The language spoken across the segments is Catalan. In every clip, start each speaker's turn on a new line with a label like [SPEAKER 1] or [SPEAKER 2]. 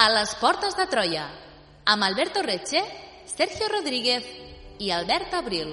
[SPEAKER 1] A les portes de Troia, amb Alberto Reche, Sergio Rodríguez i Albert Abril.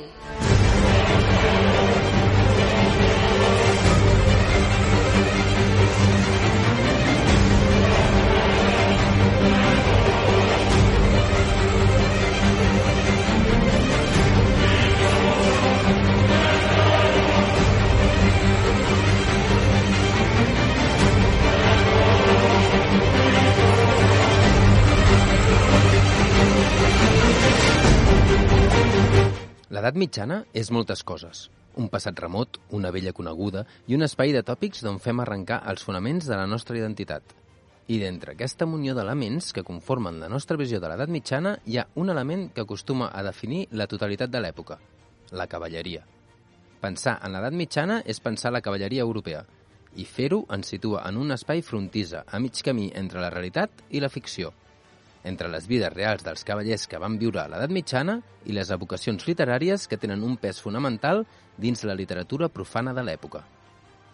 [SPEAKER 2] L'edat mitjana és moltes coses. Un passat remot, una vella coneguda i un espai de tòpics d'on fem arrencar els fonaments de la nostra identitat. I d'entre aquesta munió d'elements que conformen la nostra visió de l'edat mitjana hi ha un element que acostuma a definir la totalitat de l'època, la cavalleria. Pensar en l'edat mitjana és pensar la cavalleria europea, i fer-ho ens situa en un espai frontissa, a mig camí entre la realitat i la ficció, entre les vides reals dels cavallers que van viure a l'edat mitjana i les evocacions literàries que tenen un pes fonamental dins la literatura profana de l'època.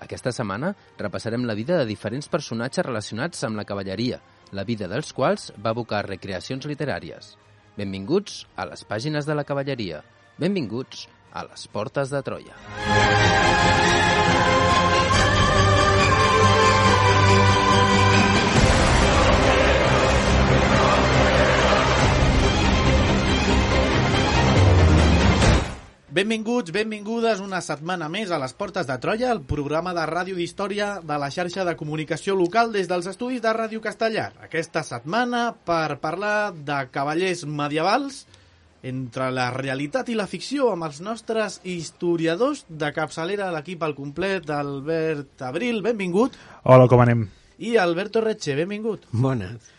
[SPEAKER 2] Aquesta setmana repassarem la vida de diferents personatges relacionats amb la cavalleria, la vida dels quals va evocar recreacions literàries. Benvinguts a les pàgines de la cavalleria. Benvinguts a les portes de Troia.
[SPEAKER 3] Benvinguts, benvingudes una setmana més a les Portes de Troia, el programa de ràdio d'història de la xarxa de comunicació local des dels estudis de Ràdio Castellar. Aquesta setmana per parlar de cavallers medievals entre la realitat i la ficció amb els nostres historiadors de capçalera, l'equip al complet, Albert Abril, benvingut.
[SPEAKER 4] Hola, com anem?
[SPEAKER 3] I Alberto Reche, benvingut.
[SPEAKER 5] Bones.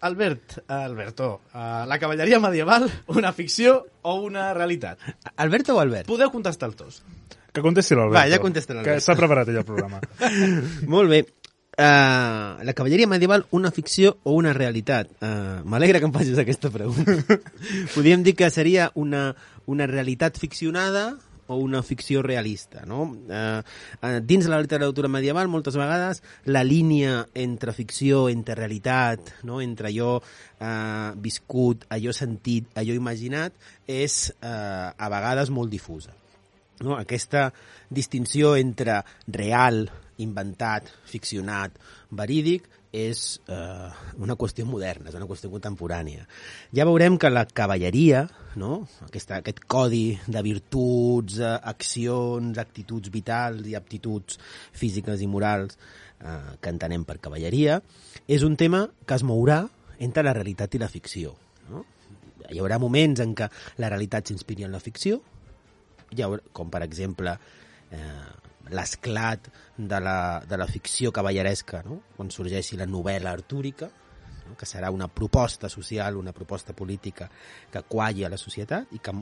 [SPEAKER 3] Alberto, la cavalleria medieval, una ficció o una realitat?
[SPEAKER 5] Alberto o Albert?
[SPEAKER 3] Podeu contestar els dos.
[SPEAKER 4] Que contesti l'Alberto.
[SPEAKER 5] Va, ja contesta l'Alberto.
[SPEAKER 4] Que s'ha preparat ell el programa.
[SPEAKER 5] Molt bé. La cavalleria medieval, una ficció o una realitat? M'alegra que em facis aquesta pregunta. Podríem dir que seria una realitat ficcionada o una ficció realista, no? Dins de la literatura medieval, moltes vegades, la línia entre ficció, entre realitat, no? Entre allò viscut, allò sentit, allò imaginat, és a vegades molt difusa. No? Aquesta distinció entre real, inventat, ficcionat, verídic, és una qüestió moderna, és una qüestió contemporània. Ja veurem que la cavalleria, no? Aquest codi de virtuts, accions, actituds vitals i aptituds físiques i morals que entenem per cavalleria, és un tema que es mourà entre la realitat i la ficció. No? Hi haurà moments en què la realitat s'inspiri en la ficció, com per exemple l'esclat de la ficció cavalleresca, no? Quan sorgeixi la novel·la artúrica, no? Que serà una proposta social, una proposta política que qualli a la societat i que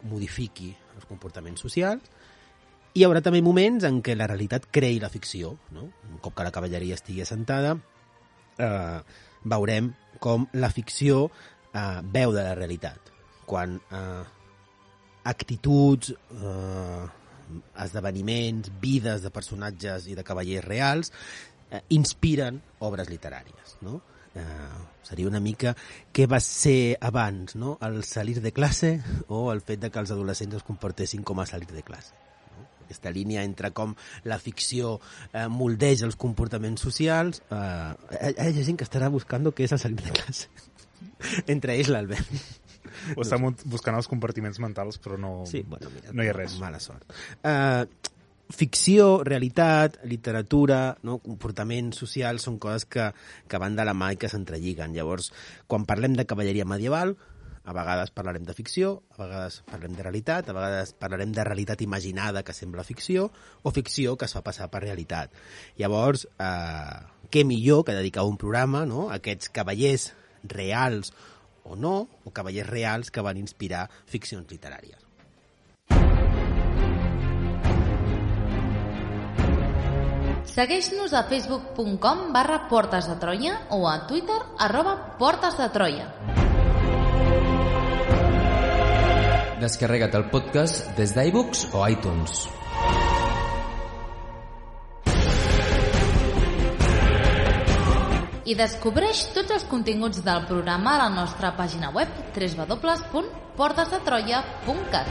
[SPEAKER 5] modifiqui els comportaments socials. Hi haurà també moments en què la realitat creï la ficció, no? Un cop que la cavalleria estigui assentada, veurem com la ficció veu de la realitat. Quan actituds, esdeveniments, vides de personatges i de cavallers reals inspiren obres literàries, no? Seria una mica què va ser abans, no? El salir de classe o el fet de que els adolescents es comportessin com a salir de classe, no? Aquesta línia entre com la ficció moldeja els comportaments socials. Hi ha gent que estarà buscant què és el salir de classe. Entre ells l'Albert.
[SPEAKER 4] O està buscant els compartiments mentals, però no,
[SPEAKER 5] sí, bueno, mira,
[SPEAKER 4] no hi ha res.
[SPEAKER 5] Mala sort. Ficció, realitat, literatura, no? Comportament social són coses que van de la mà i que s'entrelliguen. Llavors, quan parlem de cavalleria medieval, a vegades parlarem de ficció, a vegades parlem de realitat, a vegades parlarem de realitat imaginada que sembla ficció, o ficció que es fa passar per realitat. Llavors, què millor que dedicar un programa, no? A aquests cavallers reals o no, o cavallers reals que van inspirar ficcions literàries.
[SPEAKER 1] Segueix-nos a facebook.com/Portes de Troia o a Twitter @Portes de Troia.
[SPEAKER 2] Descarrega't el podcast des d'iVoox o iTunes.
[SPEAKER 1] I descobreix tots els continguts del programa a la nostra pàgina web www.portesdetroia.cat.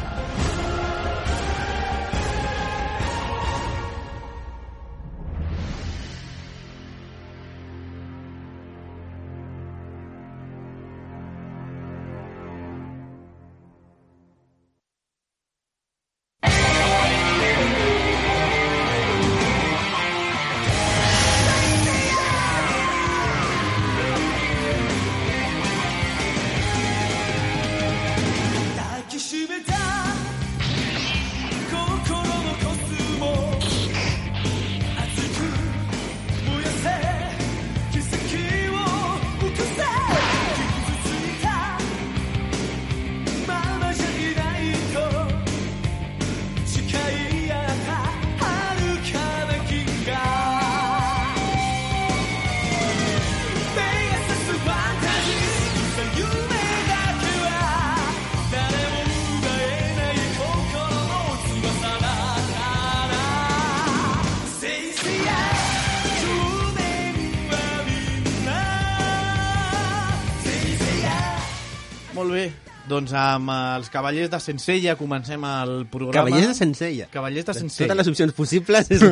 [SPEAKER 3] Molt bé, doncs amb els Cavallers de Sencella comencem el programa.
[SPEAKER 5] Cavallers de Sencella.
[SPEAKER 3] Cavallers de Sencella.
[SPEAKER 5] Totes les opcions possibles és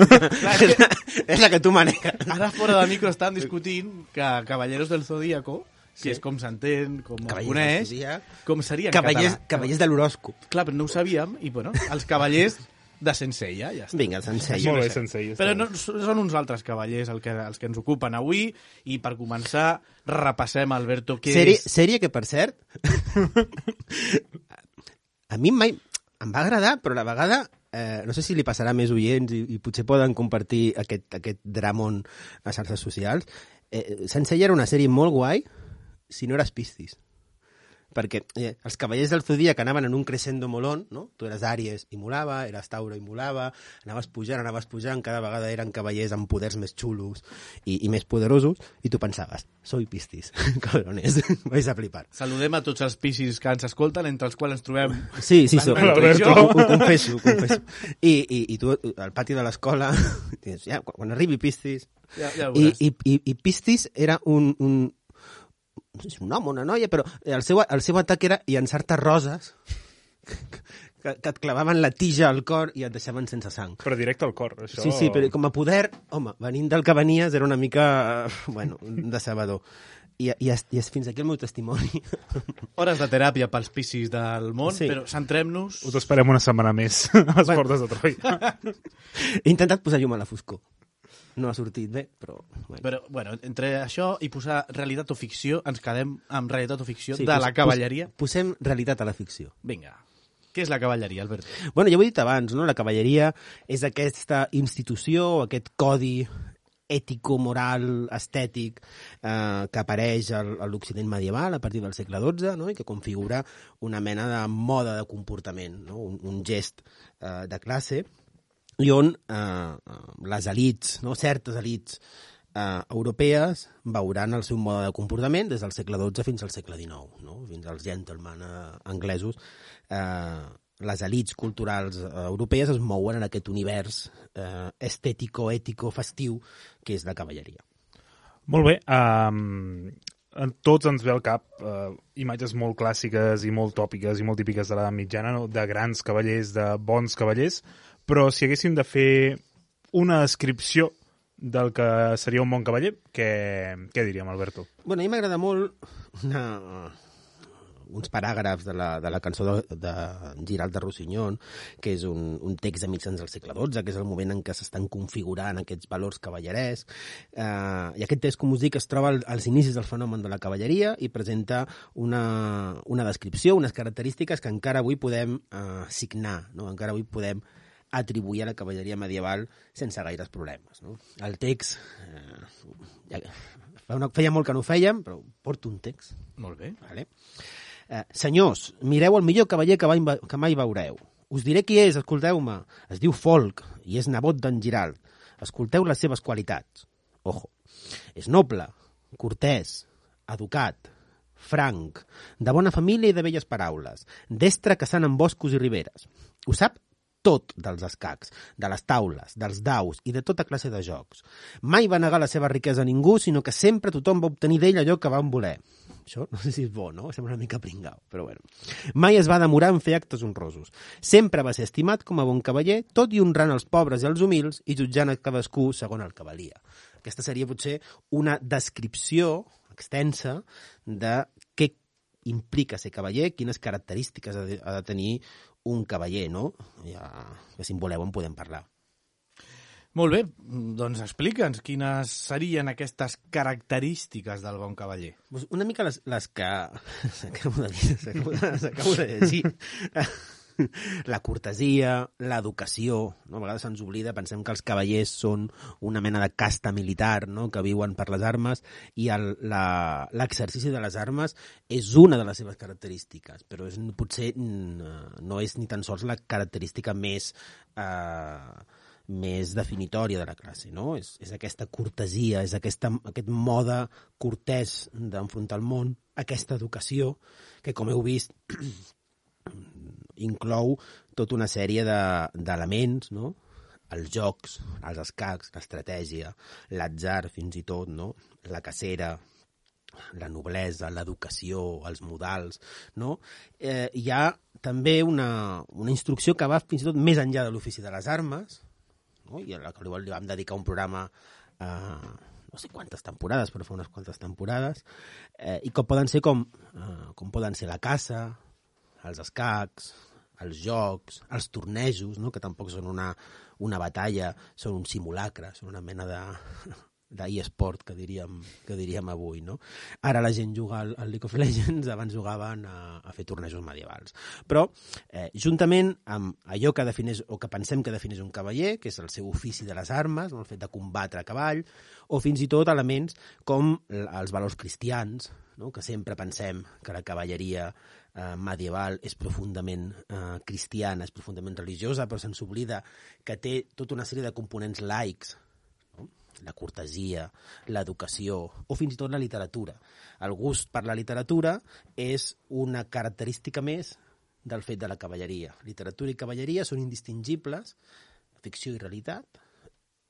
[SPEAKER 5] la que tu maneges.
[SPEAKER 3] Ara fora del micro estan discutint que Caballeros del Zodíaco, que és com s'entén, com es coneix, com seria en català.
[SPEAKER 5] Cavallers de l'horòscop.
[SPEAKER 3] Clar, però no ho sabíem, i bueno, els Cavallers de Sencella, ja està.
[SPEAKER 5] Vinga, Sencella.
[SPEAKER 4] Molt bé, Sencella.
[SPEAKER 3] Però no, són uns altres cavallers els que ens ocupen avui, i per començar repassem, Alberto, què és...
[SPEAKER 5] Sèrie que, per cert, a mi mai em va agradar, però a la vegada, no sé si li passarà a més oients i potser poden compartir aquest dramón a xarxes socials. Sencella era una sèrie molt guai si no eres Piscis. Perquè els Cavallers del Zodíac anaven en un crescendo molón, no? Tu eres Àries i molava, eres Tauro i molava, anaves pujant, cada vegada eren cavallers amb poders més xulos i més poderosos, i tu pensaves, soy Piscis, cabrones, vais a flipar.
[SPEAKER 3] Saludem a tots els Piscis que ens escolten, entre els quals ens trobem...
[SPEAKER 5] Sí,
[SPEAKER 3] Alberto.
[SPEAKER 5] ho confesso. I tu, al pati de l'escola, ja, quan arribi Piscis...
[SPEAKER 3] Ja
[SPEAKER 5] I Piscis era un no sé si un home o una noia, però el seu atac era llançar-te roses que et clavaven la tija al cor i et deixaven sense sang.
[SPEAKER 4] Però directe al cor, això...
[SPEAKER 5] Sí, però com a poder, home, venint del que venies era una mica, decebedor. I fins aquí el meu testimoni.
[SPEAKER 3] Hores de teràpia pels Piscis del món, sí. Però centrem-nos...
[SPEAKER 4] Us esperem una setmana més a les Portes de Troia.
[SPEAKER 5] He intentat posar llum a la foscor. No ha sortit bé, però...
[SPEAKER 3] Bueno, entre això i posar realitat o ficció, ens quedem amb realitat o ficció de la cavalleria.
[SPEAKER 5] Posem realitat a la ficció.
[SPEAKER 3] Vinga. Què és la cavalleria, Albert?
[SPEAKER 5] Bueno, ja ho he dit abans, no? La cavalleria és aquesta institució, aquest codi ètico-moral, estètic, que apareix a l'Occident medieval a partir del segle XII, no? I que configura una mena de moda de comportament, no? Un gest de classe, i on les elits, no? Certes elits europees veuran el seu mode de comportament des del segle XII fins al segle XIX, no? Fins als gentlemen anglesos. Les elits culturals europees es mouen en aquest univers estètico, ètico, festiu, que és la cavalleria.
[SPEAKER 4] Molt bé. A tots ens ve al cap imatges molt clàssiques i molt tòpiques i molt típiques de l'edat mitjana, no? De grans cavallers, de bons cavallers, però si haguéssim de fer una descripció del que seria un bon cavaller, què diríem, Alberto?
[SPEAKER 5] Bueno, a mi m'agrada molt uns paràgrafs de la cançó de Giralt de Rossinyol, que és un text de mitjans del segle XII, que és el moment en què s'estan configurant aquests valors cavallerès. I aquest text, com us dic, es troba als inicis del fenomen de la cavalleria i presenta una descripció, unes característiques que encara avui podem signar, no? Encara avui podem atribuir a la cavalleria medieval sense gaires problemes, no? El text... feia molt que no ho fèiem, però porto un text.
[SPEAKER 3] Molt bé.
[SPEAKER 5] Vale. Senyors, mireu el millor cavaller que mai veureu. Us diré qui és, escolteu-me. Es diu Folk i és nebot d'en Giralt. Escolteu les seves qualitats. Ojo. És noble, cortès, educat, franc, de bona família i de belles paraules, destre caçant en boscos i riberes. Ho sap tot dels escacs, de les taules, dels daus i de tota classe de jocs. Mai va negar la seva riquesa a ningú, sinó que sempre tothom va obtenir d'ell allò que van voler. Això no sé si és bo, no? Sembla una mica pringau, però bueno. Mai es va demorar en fer actes honrosos. Sempre va ser estimat com a bon cavaller, tot i honrant els pobres i els humils i jutjant a cadascú segons el que valia. Aquesta seria potser una descripció extensa de què implica ser cavaller, quines característiques ha de tenir un cavaller, no? Ja, que si en voleu en podem parlar.
[SPEAKER 3] Molt bé, doncs explica'ns quines serien aquestes característiques del bon cavaller.
[SPEAKER 5] Una mica les que s'acabo de llegir. La cortesia, l'educació, no? A vegades se'ns oblida, pensem que els cavallers són una mena de casta militar, no? Que viuen per les armes, i l'exercici de les armes és una de les seves característiques, però potser no és ni tan sols la característica més definitòria de la classe, no? És aquesta cortesia, és aquest mode cortès d'enfrontar el món, aquesta educació, que com heu vist inclou tota una sèrie d'elements, no? Els jocs, els escacs, l'estratègia, l'atzar fins i tot, no? La cacera, la noblesa, l'educació, els modals, no? Hi ha també una instrucció que va fins i tot més enllà de l'ofici de les armes, no? I a la que li vam dedicar un programa no sé quantes temporades, però fa unes quantes temporades, i com poden ser la caça, els escacs, els jocs, els tornejos, no? Que tampoc són una batalla, són un simulacre, són una mena d'e-sport que diríem avui, no? Ara la gent juga al League of Legends, abans jugaven a fer tornejos medievals. Però, juntament amb allò que defineix, o que pensem que defineix un cavaller, que és el seu ofici de les armes, no? El fet de combatre a cavall, o fins i tot elements com els valors cristians, no? Que sempre pensem que la cavalleria medieval és profundament cristiana, és profundament religiosa, però se'ns oblida que té tota una sèrie de components laics, no? La cortesia, l'educació o fins i tot la literatura. El gust per la literatura és una característica més del fet de la cavalleria. Literatura i cavalleria són indistingibles, ficció i realitat,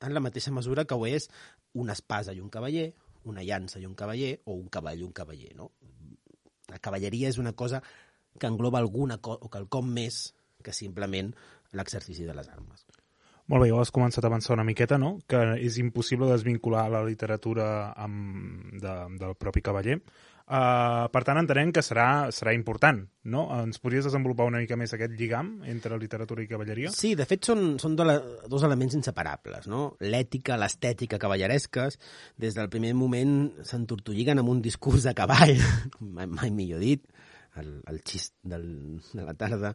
[SPEAKER 5] en la mateixa mesura que ho és una espasa i un cavaller, una llança i un cavaller, o un cavall i un cavaller, no? La cavalleria és una cosa que engloba o quelcom més que simplement l'exercici de les armes.
[SPEAKER 4] Molt bé, ja has començat a avançar una miqueta, no? Que és impossible desvincular la literatura del propi cavaller. Per tant, entenem que serà important, no? Ens podries desenvolupar una mica més aquest lligam entre literatura i cavalleria?
[SPEAKER 5] Sí, de fet són dos elements inseparables, no? L'ètica, l'estètica cavalleresques, des del primer moment s'entortolliguen amb un discurs de cavall, mai millor dit, el xist de la tarda,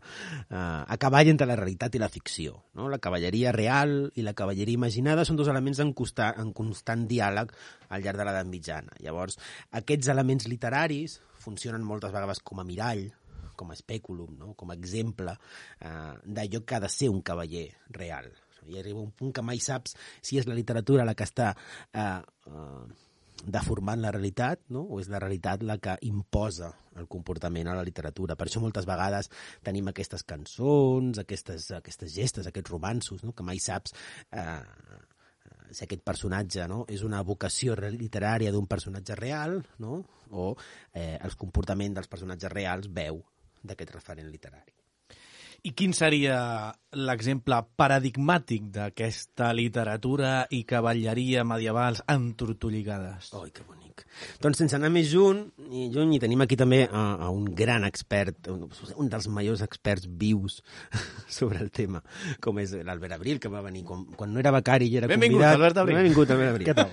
[SPEAKER 5] a cavall entre la realitat i la ficció, no? La cavalleria real i la cavalleria imaginada són dos elements en constant diàleg al llarg de l'edat mitjana. Llavors, aquests elements literaris funcionen moltes vegades com a mirall, com a espèculum, no? Com a exemple d'allò que ha de ser un cavaller real. I arriba un punt que mai saps si és la literatura la que està deformant la realitat, no? O és la realitat la que imposa el comportament a la literatura. Per això moltes vegades tenim aquestes cançons, aquestes gestes, aquests romanços, no? Que mai saps si aquest personatge, no? És una vocació literària d'un personatge real, no? O el comportament dels personatges reals veu d'aquest referent literari.
[SPEAKER 3] I quin seria l'exemple paradigmàtic d'aquesta literatura i cavalleria medievals entortolligades?
[SPEAKER 5] Oi, que bonic. Doncs sense anar més lluny, i tenim aquí també a un gran expert, un dels majors experts vius sobre el tema, com és l'Albert Abril, que va venir quan no era becari i era convidat.
[SPEAKER 3] Albert Abril.
[SPEAKER 5] Benvingut, Albert Abril.
[SPEAKER 4] Què tal?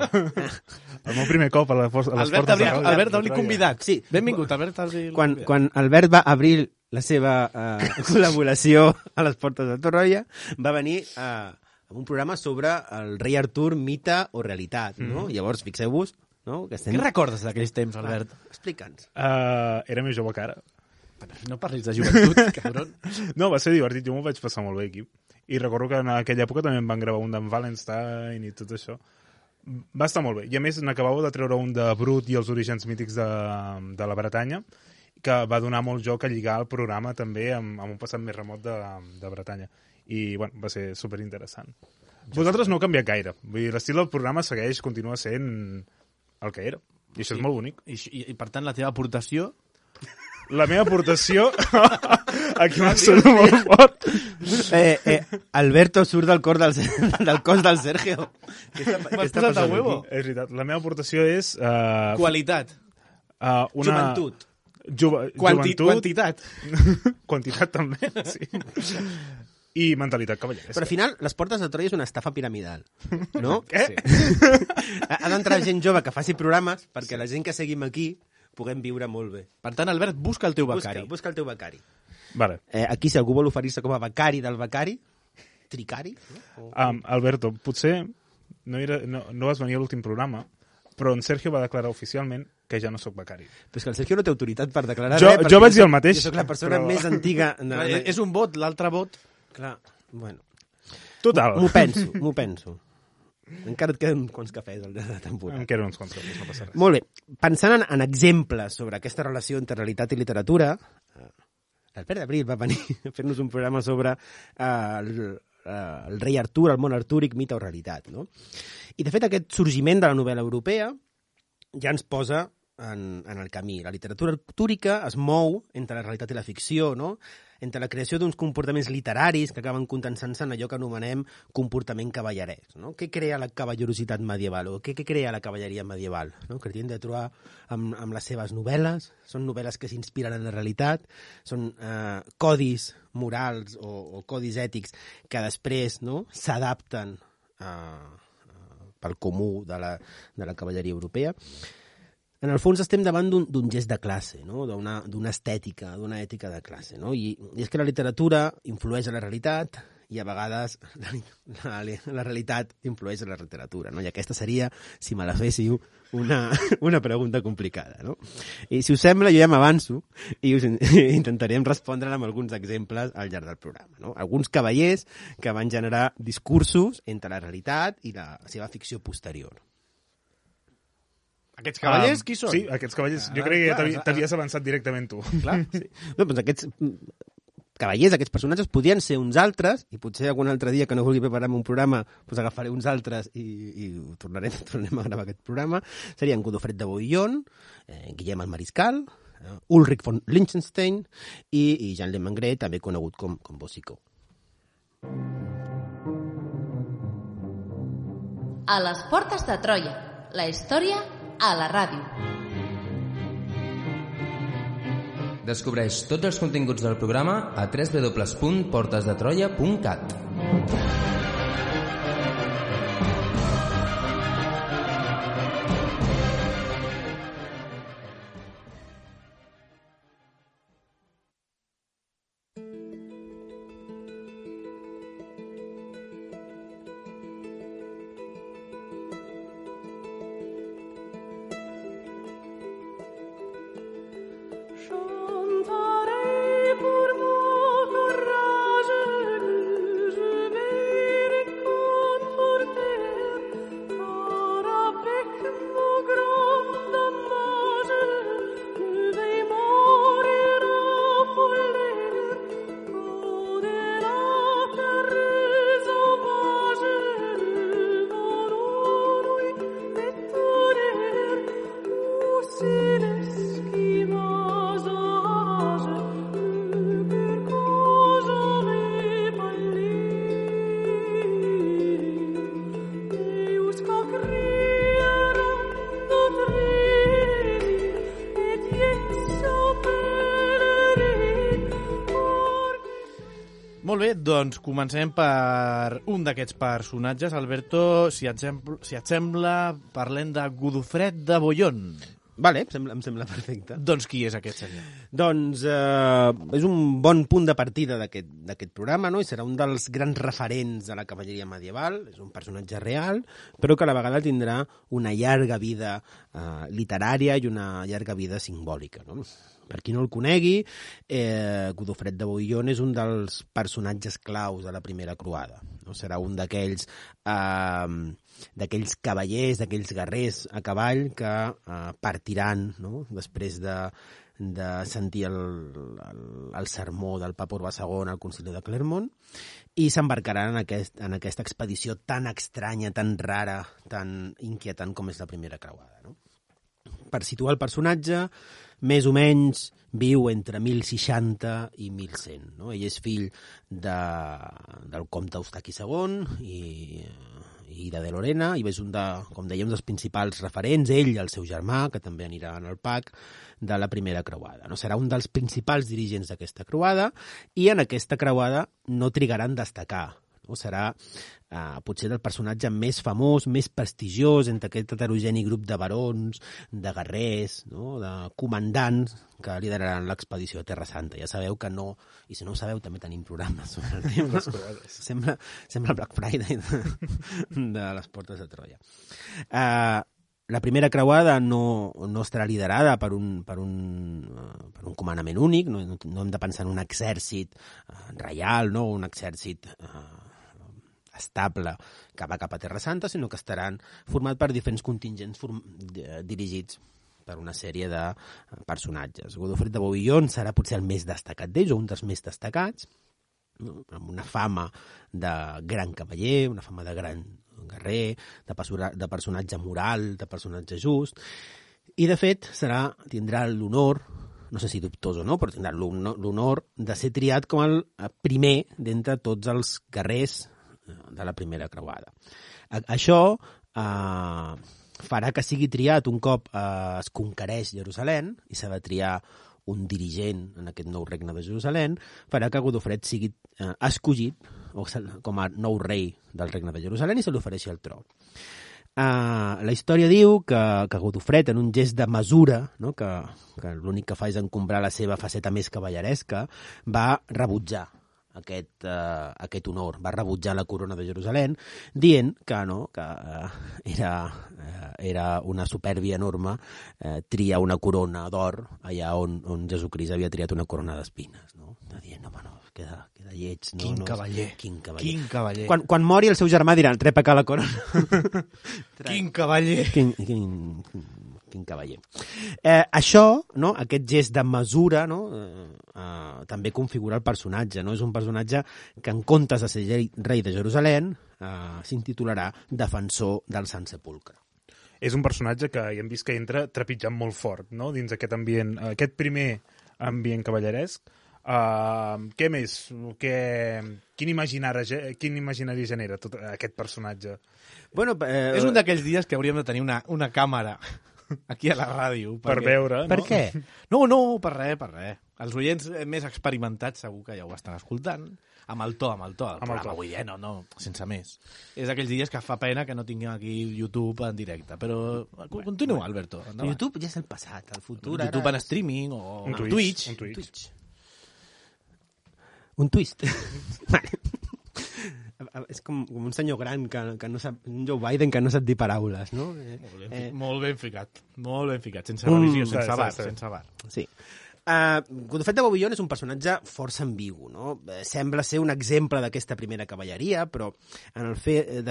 [SPEAKER 4] El meu primer cop a les portes de Troia.
[SPEAKER 3] Albert Abril convidat.
[SPEAKER 5] Sí.
[SPEAKER 3] Benvingut, Albert Abril.
[SPEAKER 5] Quan Albert va obrir la seva col·laboració a les portes de Troia, va venir amb un programa sobre el rei Artur, mite o realitat, no? Llavors, fixeu-vos, no? Que estem...
[SPEAKER 3] Què recordes d'aquells temps, Albert?
[SPEAKER 5] Explica'ns.
[SPEAKER 4] Era més jove que ara.
[SPEAKER 3] No parlis de joventut, cabron.
[SPEAKER 4] No, va ser divertit, jo m'ho vaig passar molt bé aquí. i recordo que en aquella època també em van gravar un d'en Wallenstein i tot això. Va estar molt bé. I a més n'acabava de treure un de Brut i els orígens mítics de la Bretanya, que va donar molt joc a lligar el programa també amb un passat més remot de Bretanya. I bueno, va ser superinteressant. Vosaltres no heu canviat gaire. Vull dir, l'estil del programa continua sent el que era. I això és molt bonic.
[SPEAKER 3] I per tant, la teva aportació...
[SPEAKER 4] La meva aportació... Aquí m'ha sonat molt fort.
[SPEAKER 5] Alberto surt del cos del Sergio.
[SPEAKER 3] M'has posat a huevo.
[SPEAKER 4] És veritat. La meva aportació és...
[SPEAKER 3] Qualitat.
[SPEAKER 5] Joventut.
[SPEAKER 4] Joventut.
[SPEAKER 3] Quantitat.
[SPEAKER 4] Quantitat també, sí. I mentalitat cavalleresca.
[SPEAKER 5] Però al final, les portes de Troia és una estafa piramidal, no?
[SPEAKER 4] Què?
[SPEAKER 5] Sí. Ha d'entrar gent jove que faci programes perquè la gent que seguim aquí puguem viure molt bé.
[SPEAKER 3] Per tant, Albert, busca el teu becari.
[SPEAKER 5] Busca el teu becari.
[SPEAKER 4] Vale.
[SPEAKER 5] Aquí, si algú vol oferir-se com a becari del becari, tricari... No?
[SPEAKER 4] Alberto, potser no vas venir a l'últim programa, però en Sergio va declarar oficialment que ja no sóc becari.
[SPEAKER 5] Però és que el Sergio no té autoritat per declarar
[SPEAKER 4] res. Jo vaig dir el mateix.
[SPEAKER 5] Jo soc la persona més antiga...
[SPEAKER 3] És un vot, l'altre vot...
[SPEAKER 5] Clar, bueno.
[SPEAKER 4] Total.
[SPEAKER 5] M'ho penso. Encara et queden quants cafès al llarg de la temporada.
[SPEAKER 4] Em queden uns quants cafès, no passa res.
[SPEAKER 5] Molt bé. Pensant en exemples sobre aquesta relació entre realitat i literatura, l'Albert Abril va venir a fer-nos un programa sobre el rei Artur, el món artúric, mite o realitat. No? I, de fet, aquest sorgiment de la novel·la europea ja ens posa en el camí. La literatura artúrica es mou entre la realitat i la ficció, no? Entre la creació d'uns comportaments literaris que acaben condensant-se en allò que anomenem comportament cavallerès. No? Què crea la cavallerositat medieval? O què crea la cavalleria medieval? No? Que hem de trobar amb les seves novel·les. Són novel·les que s'inspiren en la realitat. Són codis morals o codis ètics que després s'adapten pel comú de la cavalleria europea. En el fons estem davant d'un gest de classe, no? d'una estètica, d'una ètica de classe. No? I és que la literatura influeix en la realitat i a vegades la realitat influeix en la literatura. No? I aquesta seria, si me la féssiu, una pregunta complicada. No? I si us sembla, jo ja m'avanço i us intentarem respondre amb alguns exemples al llarg del programa. No? Alguns cavallers que van generar discursos entre la realitat i la seva ficció posterior.
[SPEAKER 3] Aquests cavallers, qui són?
[SPEAKER 4] Sí, aquests cavallers. Jo crec que t'havies avançat directament tu.
[SPEAKER 3] Clar, sí.
[SPEAKER 5] No, doncs aquests cavallers, aquests personatges, podien ser uns altres, i potser algun altre dia que no vulgui preparar-me un programa, doncs agafaré uns altres i tornem a gravar aquest programa. Serien Godofred de Bouillon, Guillem el Mariscal, Ulrich von Liechtenstein i Jean Le Mangret, també conegut com Boucicaut.
[SPEAKER 1] A les portes de Troia, la història a la ràdio.
[SPEAKER 2] Descobreix tots els continguts del programa a www.portesdetroia.cat.
[SPEAKER 3] Molt bé, doncs comencem per un d'aquests personatges. Alberto, si et sembla, parlem de Godofred de Bouillon.
[SPEAKER 5] Vale, em sembla perfecte.
[SPEAKER 3] Doncs qui és aquest senyor?
[SPEAKER 5] Doncs és un bon punt de partida d'aquest programa, no? I serà un dels grans referents de la cavalleria medieval. És un personatge real, però que a la vegada tindrà una llarga vida literària i una llarga vida simbòlica, no? Per qui no el conegui, Godofred de Bouillon és un dels personatges claus de la primera croada. No? Serà un d'aquells cavallers, d'aquells guerrers a cavall que partiran, no? Després de sentir el sermó del papa Urbà II al concili de Clermont i s'embarcaran en aquesta expedició tan estranya, tan rara, tan inquietant com és la primera creuada. No? Per situar el personatge, més o menys viu entre 1060 i 1100. No? Ell és fill del comte Eustaqui II i de Lorena, i és un com dèiem, dels principals referents, ell i el seu germà, que també anirà en el PAC, de la primera creuada. No? Serà un dels principals dirigents d'aquesta creuada, i en aquesta creuada no trigaran a destacar. No? Serà potser el personatge més famós, més prestigiós entre aquest heterogeni grup de barons, de guerrers, no? De comandants que lideraran l'expedició a Terra Santa. Ja sabeu que no, i si no ho sabeu també tenim programes sobre el tema. Sembla Black Friday de les portes de Troia. La primera creuada no estarà liderada per un comandament únic, no hem de pensar en un exèrcit reial, no? Un exèrcit estable que va cap a Terra Santa, sinó que estaran format per diferents contingents dirigits per una sèrie de personatges. Godofred de Bouillon serà potser el més destacat d'ells, o un dels més destacats, no? Amb una fama de gran cavaller, una fama de gran guerrer, de personatge moral, de personatge just, i de fet tindrà l'honor, no sé si dubtós o no, però tindrà l'honor de ser triat com el primer d'entre tots els guerrers de la primera creuada. Això farà que sigui triat un cop es conquereix Jerusalem i s'ha de triar un dirigent en aquest nou regne de Jerusalem, farà que Godofred sigui escollit com a nou rei del regne de Jerusalem i se li ofereixi el tro. La història diu que Godofred, en un gest de mesura, no? que l'únic que fa és encombrar la seva faceta més cavalleresca, va rebutjar aquest honor, va rebutjar la corona de Jerusalem, dient que era una supèrbia enorme triar una corona d'or allà on Jesucrist havia triat una corona d'espines. No? Dient, queda lleig. No?
[SPEAKER 3] Quin cavaller. Quin cavaller.
[SPEAKER 5] Quan mori el seu germà diran, trep acá la corona.
[SPEAKER 3] Quin cavaller.
[SPEAKER 5] Quin cavaller. Això, no? Aquest gest de mesura, no? També configura el personatge. No? És un personatge que, en comptes de ser rei de Jerusalem, s'intitularà Defensor del Sant Sepulcre.
[SPEAKER 4] És un personatge que ja hem vist que entra trepitjant molt fort, no? Dins aquest ambient, aquest primer ambient cavalleresc. Què més? Quin imaginari genera tot aquest personatge?
[SPEAKER 5] Bueno,
[SPEAKER 3] és un d'aquells dies que hauríem de tenir una càmera aquí a la ràdio.
[SPEAKER 4] Per veure,
[SPEAKER 5] per
[SPEAKER 4] no?
[SPEAKER 5] què?
[SPEAKER 3] No, per res. Els oients més experimentats segur que ja ho estan escoltant. Amb el to del programa, vull dir, no, sense més. És aquells dies que fa pena que no tinguem aquí YouTube en directe, però continua, Alberto. Endavant.
[SPEAKER 5] YouTube ja és el passat, el futur.
[SPEAKER 3] YouTube
[SPEAKER 5] ara...
[SPEAKER 3] en streaming o
[SPEAKER 4] un
[SPEAKER 3] Twitch.
[SPEAKER 5] Un twist. És com un senyor gran que no sap, un Joe Biden que no sap dir paraules, no?
[SPEAKER 3] Molt ben ficat, sense revisió, sense bar.
[SPEAKER 5] Sí. Godofred de Bouillon és un personatge força ambigu, no? Sembla ser un exemple d'aquesta primera cavalleria, però de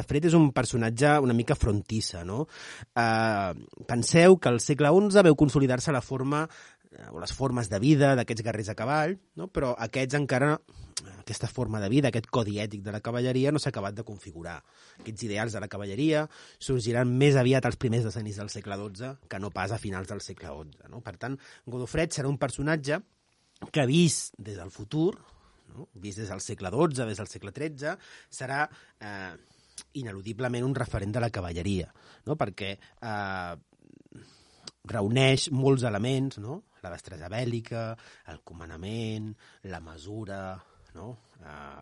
[SPEAKER 5] fet és un personatge una mica frontissa, no? Penseu que al segle XI veu consolidar-se la forma o les formes de vida d'aquests guerrers a cavall, no? Però aquesta forma de vida, aquest codi ètic de la cavalleria no s'ha acabat de configurar. Aquests ideals de la cavalleria sorgiran més aviat als primers decennis del segle XII que no pas a finals del segle XI. No? Per tant, Godofred serà un personatge que, vist des del futur, no? Vist des del segle XII, des del segle XIII, serà ineludiblement un referent de la cavalleria, no? Perquè reuneix molts elements, no? La destresa bèl·lica, el comandament, la mesura, no?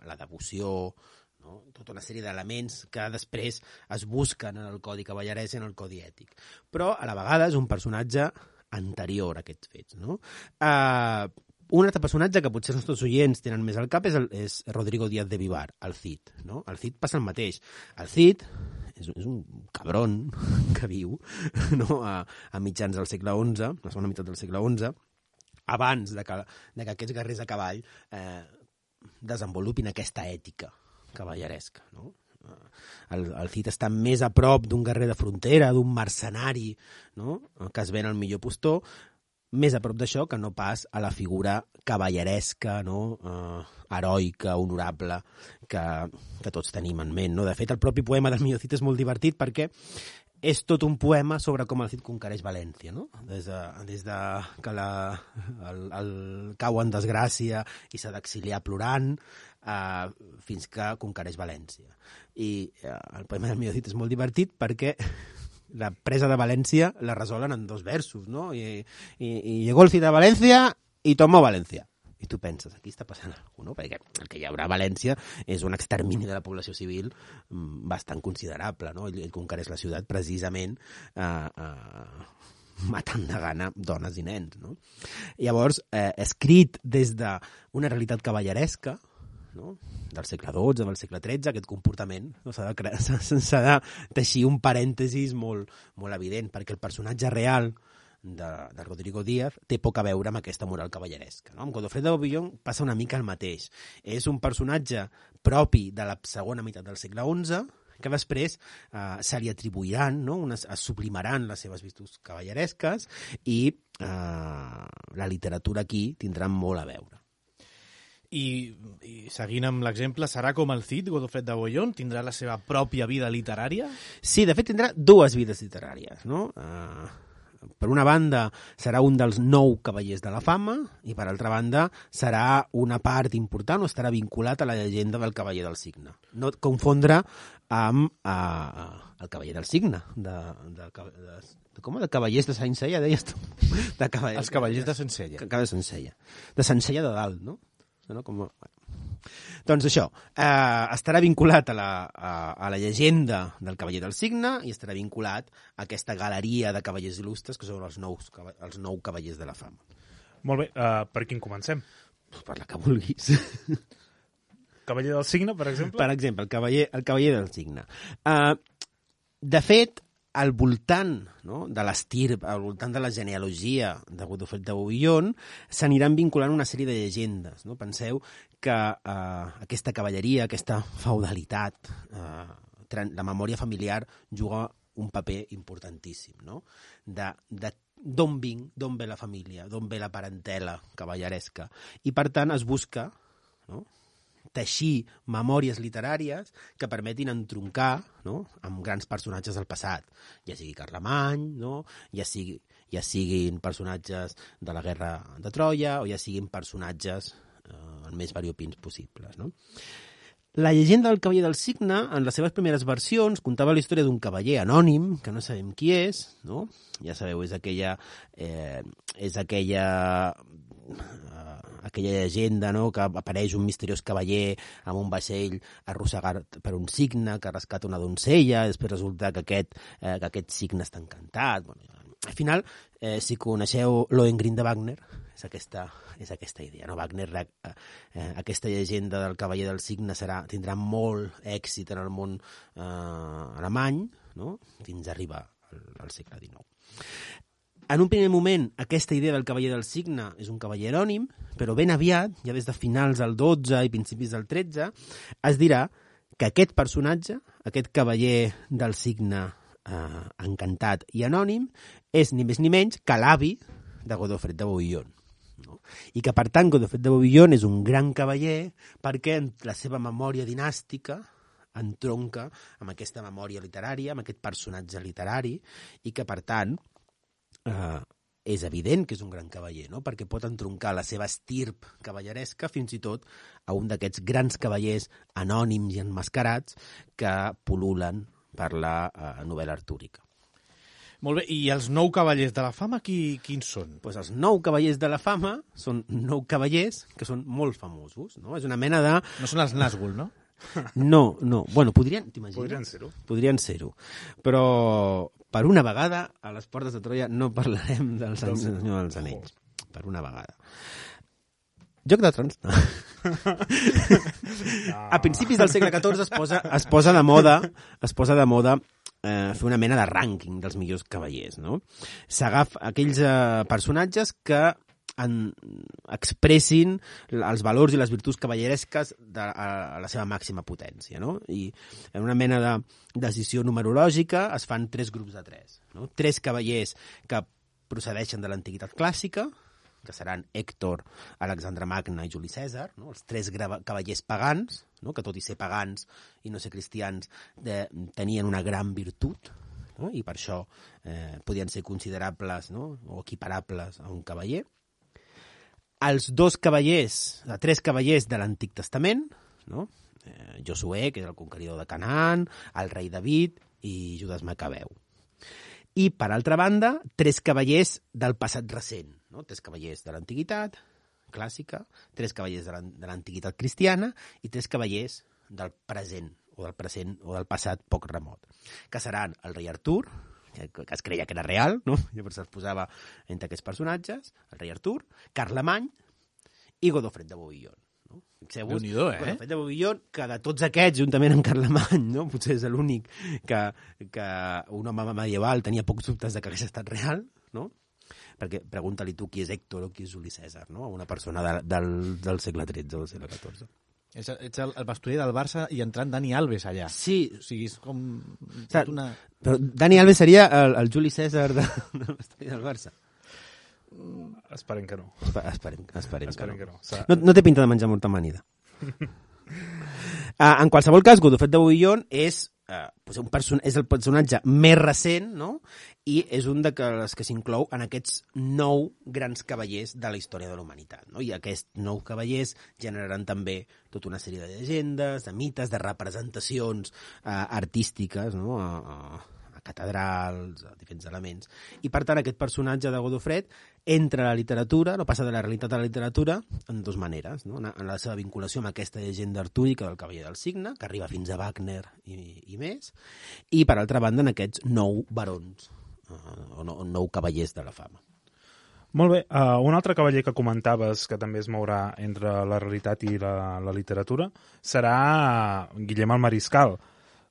[SPEAKER 5] La devoció, no? Tota una sèrie d'elements que després es busquen en el codi cavallerès i en el codi ètic. Però, a la vegada, és un personatge anterior a aquests fets, no? Un altre personatge que potser els nostres oients tenen més al cap és Rodrigo Díaz de Vivar, el Cid, no? El Cid passa el mateix. El Cid és un cabron que viu, no? a mitjans del segle XI, la segona meitat del segle XI, abans de que aquests guerrers a cavall desenvolupin aquesta ètica cavalleresca, no? El Cid està més a prop d'un guerrer de frontera, d'un mercenari, no? Que es ven al millor postor, més a prop d'això que no pas a la figura cavalleresca, no? Heroica, honorable, que tots tenim en ment, no? De fet, el propi poema del millor Cid és molt divertit perquè és tot un poema sobre com el Cid conquereix València, no? Des de que el cau en desgràcia i s'ha d'exiliar plorant fins que conquereix València. I el poema del millor Cid és molt divertit perquè la presa de València la resolen en 2 versos, ¿no? Y llegó el Cid a València i tomó València. I tu penses, aquí està passant alguna cosa, no? Perquè el que hi haurà a València és un extermini de la població civil bastant considerable, no? Ell conquereix la ciutat precisament matant de gana dones i nens, no? Llavors, escrit des d'una realitat cavalleresca, no? Del segle XII, del segle XIII, aquest comportament, no? S'ha de teixir un parèntesis molt, molt evident, perquè el personatge real de Rodrigo Díaz té poc a veure amb aquesta moral cavalleresca, no? Amb Godofredo de Bouillon passa una mica el mateix. És un personatge propi de la segona meitat del segle XI que després se li atribuiran, no? Es sublimaran les seves virtuts cavalleresques i la literatura aquí tindrà molt a veure.
[SPEAKER 3] I seguint amb l'exemple, serà com el Cid, Godofredo de Bouillon? Tindrà la seva pròpia vida literària?
[SPEAKER 5] Sí, de fet tindrà 2 vides literàries, no? Per una banda serà un dels 9 cavallers de la fama i per altra banda serà una part important o estarà vinculat a la llegenda del cavaller del Cigne. No confondre amb el cavaller del Cigne, com de cavallers de Sencella, deies tu?
[SPEAKER 3] Els cavallers de Sencella.
[SPEAKER 5] De Sencella. De Sencella de dalt, no? No? Doncs això, estarà vinculat a la llegenda del cavaller del Cigne i estarà vinculat a aquesta galeria de cavallers il·lustres que són els 9 cavallers de la fama.
[SPEAKER 4] Molt bé, per quin comencem?
[SPEAKER 5] Per la que vulguis.
[SPEAKER 4] Cavaller del Cigne, per exemple?
[SPEAKER 5] Per exemple, el cavaller del Cigne. De fet, al voltant, no, de l'estirp, al voltant de la genealogia de Godofredo de Bouillon, s'aniran vinculant una sèrie de llegendes. No? Penseu que aquesta cavalleria, aquesta feudalitat, la memòria familiar juga un paper importantíssim. No? D'on vinc, d'on ve la família, d'on ve la parentela cavalleresca. I, per tant, es busca, no?, teixir memòries literàries que permetin entroncar, no?, amb grans personatges del passat, ja sigui Carlemany, no?, ja siguin personatges de la guerra de Troia o ja siguin personatges el més variopins possibles. No? La llegenda del cavaller del Cigne, en les seves primeres versions, contava la història d'un cavaller anònim, que no sabem qui és, no? Ja sabeu, és aquella llegenda, no?, que apareix un misteriós cavaller amb un vaixell arrossegat per un cigne que rescata una doncella, després resulta que aquest cigne està encantat. Bueno, al final, si coneixeu Lohengrin de Wagner, és aquesta idea. No? Wagner, aquesta llegenda del cavaller del cigne tindrà molt èxit en el món alemany, no?, fins a arribar al segle XIX. En un primer moment, aquesta idea del cavaller del Cigne és un cavaller anònim, però ben aviat, ja des de finals del 12 i principis del 13, es dirà que aquest personatge, aquest cavaller del Cigne encantat i anònim, és ni més ni menys que l'avi de Godofredo de Bouillon. No? I que, per tant, Godofredo de Bouillon és un gran cavaller perquè la seva memòria dinàstica entronca amb aquesta memòria literària, amb aquest personatge literari, i que, per tant, és evident que és un gran cavaller, no? Perquè pot entroncar la seva estirp cavalleresca fins i tot a un d'aquests grans cavallers anònims i enmascarats que pul·lulen per la novel·la artúrica.
[SPEAKER 3] Molt bé, i els 9 cavallers de la fama quins són?
[SPEAKER 5] Pues els 9 cavallers de la fama són 9 cavallers que són molt famosos, no? És una mena de...
[SPEAKER 3] No són els Nazgûl, no?
[SPEAKER 5] No. Bueno, t'imagines?
[SPEAKER 4] Podrien ser-ho.
[SPEAKER 5] Podrien ser-ho. Però, per una vegada, a les Portes de Troia no parlarem del Senyor dels Anells. Per una vegada. Joc de Trons? No. A principis del segle XIV es posa de moda fer una mena de rànquing dels millors cavallers, no? S'agafa aquells personatges que expressin els valors i les virtuts cavalleresques a la seva màxima potència, no? I en una mena de decisió numerològica es fan 3 grups de 3, no? 3 cavallers que procedeixen de l'antiguitat clàssica, que seran Hèctor, Alexandre Magne i Juli Cèsar, no? Els 3 cavallers pagans, no? Que tot i ser pagans i no ser cristians tenien una gran virtut, no? I per això podien ser considerables, no? O equiparables a un cavaller. Els 3 cavallers de l'Antic Testament, no? Josué, que és el conqueridor de Canaan, el rei David i Judas Macabeu. I, per altra banda, 3 cavallers del passat recent, no? 3 cavallers de l'antiguitat clàssica, 3 cavallers de l'antiguitat cristiana i 3 cavallers del present o del passat poc remot, que seran el rei Artur, que es creia que era real, no? Llavors es posava entre aquests personatges, el rei Artur, Carlemany i Godofred de Bouillon. No? Fixeu-vos, Godofred de Bouillon, que de tots aquests, juntament amb Carlemany, no? Potser és l'únic que un home medieval tenia pocs dubtes de que hagués estat real, no? Perquè pregunta-li tu qui és Hèctor o qui és Juli Cèsar, no? Una persona del segle XIII o del segle XIV.
[SPEAKER 3] Ets el pasturer del Barça i entrant Dani Alves allà.
[SPEAKER 5] Sí.
[SPEAKER 3] O sigui, és com...
[SPEAKER 5] Però Dani Alves seria el Juli Cèsar del pasturer del Barça.
[SPEAKER 4] Esperem que no.
[SPEAKER 5] Esperem que no.
[SPEAKER 4] No
[SPEAKER 5] té pinta de menjar molta amanida. En qualsevol cas, Godofred de Bouillon és el personatge més recent, no? I és un dels que s'inclou en aquests 9 grans cavallers de la història de la humanitat, no? I aquests 9 cavallers generaran també tota una sèrie de llegendes, de mites, de representacions artístiques, no? A catedrals, a diferents elements. I, per tant, aquest personatge de Godofred entra a la literatura, no passa de la realitat a la literatura, en 2 maneres, no? En la seva vinculació amb aquesta llegenda artúrica del Cavaller del Cigne, que arriba fins a Wagner i més, i, per altra banda, en aquests 9 barons, o 9 cavallers de la fama.
[SPEAKER 4] Molt bé. Un altre cavaller que comentaves que també es mourà entre la realitat i la literatura serà Guillem el Mariscal.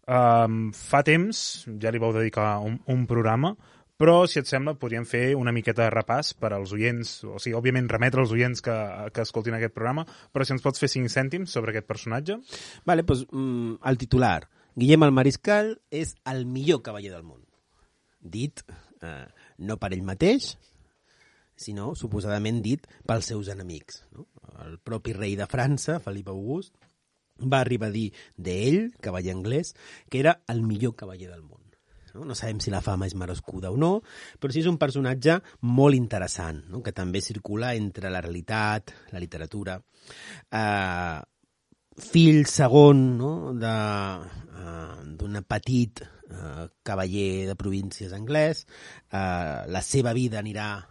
[SPEAKER 4] Fa temps, ja li vau dedicar un programa, però, si et sembla, podríem fer una miqueta de repàs per als oients, o sigui, òbviament remetre als oients que escoltin aquest programa, però si ens pots fer 5 cèntims sobre aquest personatge.
[SPEAKER 5] Vale, doncs el titular. Guillem el Mariscal és el millor cavaller del món. Dit no per ell mateix, sinó suposadament dit pels seus enemics, no? El propi rei de França, Felip August, va arribar a dir d'ell, cavaller anglès, que era el millor cavaller del món. No sabem si la fama és merescuda o no, però sí és un personatge molt interessant, no? Que també circula entre la realitat, la literatura. Fill segon, no? d'un petit cavaller de províncies anglès. La seva vida anirà